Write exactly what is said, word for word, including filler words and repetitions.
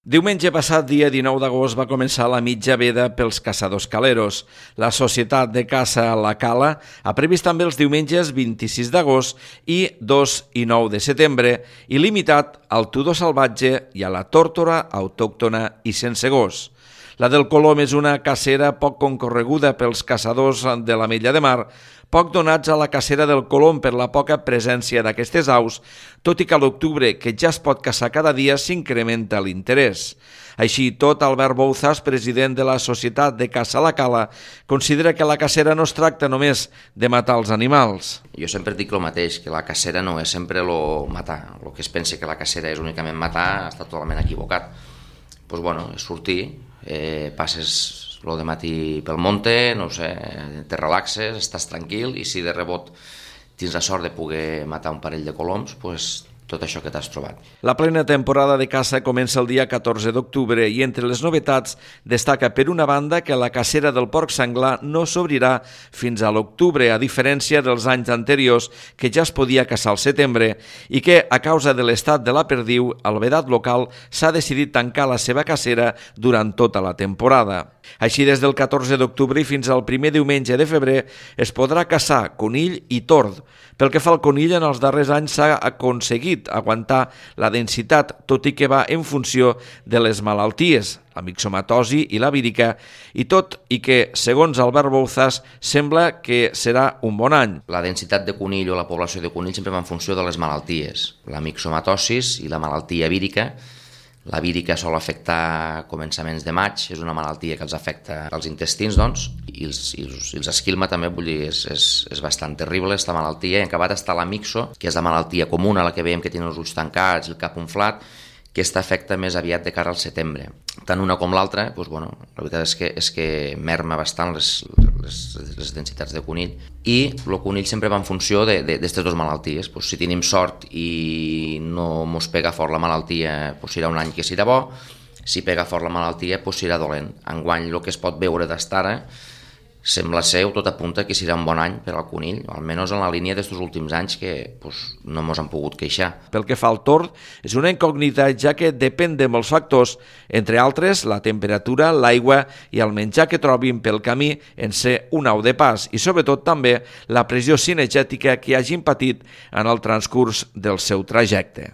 Diumenge passat, dia dinou d'agost, va començar la mitja veda pels caçadors caleros. La Societat de Caça La Cala ha previst també els diumenges vint-i-sis d'agost i dos i nou de setembre i limitat al tudó salvatge i a la tórtora autòctona i sense gos. La del colom és una cacera poc concorreguda pels caçadors de l'Ametlla de Mar, poc donats a la cacera del colom per la poca presència d'aquestes aus, tot i que a l'octubre, que ja es pot caçar cada dia, s'incrementa l'interès. Així i tot, Albert Bouzas, president de la Societat de Caça La Cala, considera que la cacera no es tracta només de matar els animals. Jo sempre dic el mateix, que la cacera no és sempre lo matar. El que es pensa que la cacera és únicament matar està totalment equivocat. Pues bueno, és sortir, eh, passes lo de matí pel monte, no sé, te relaxes, estàs tranquil i si de rebot tens la sort de poder matar un parell de coloms, pues tot això que t'has trobat. La plena temporada de caça comença el dia catorze d'octubre i entre les novetats destaca per una banda que la cacera del porc senglar no s'obrirà fins a l'octubre, a diferència dels anys anteriors que ja es podia caçar al setembre i que, a causa de l'estat de la perdiu, el vedat local s'ha decidit tancar la seva cacera durant tota la temporada. Així, des del catorze d'octubre fins al primer diumenge de febrer es podrà caçar conill i tord. Pel que fa al conill, en els darrers anys s'ha aconseguit aguantar la densitat, tot i que va en funció de les malalties, la mixomatosi i la vírica, i tot i que, segons Albert Bouzas, sembla que serà un bon any. La densitat de conill o la població de conill sempre va en funció de les malalties. La mixomatosis i la malaltia vírica. La vírica sol afectar a començaments de maig, és una malaltia que els afecta als intestins, doncs, i els, i els, i els esquilma també, vull dir, és, és, és bastant terrible, aquesta malaltia. I en acabat està la mixo, que és la malaltia comuna, la que veiem que tenen els ulls tancats, el cap inflat, que aquesta afecta més aviat de cara al setembre. Tant una com l'altra, doncs, bueno, la veritat és que, és que merma bastant les, les, les densitats de conill, i el conill sempre va en funció d'aquestes dues malalties. Pues, si tenim sort i no mos pega fort la malaltia, pues, serà un any que serà bo. Si pega fort la malaltia, pues, serà dolent. Enguany, el que es pot veure d'estar ara, sembla ser, o tot apunta que serà un bon any per al conill, almenys en la línia d'aquests últims anys que pues, no ens han pogut queixar. Pel que fa al tord, és una incògnita ja que depèn de molts factors, entre altres la temperatura, l'aigua i el menjar que trobin pel camí en ser un au de pas i sobretot també la pressió cinegètica que hagin patit en el transcurs del seu trajecte.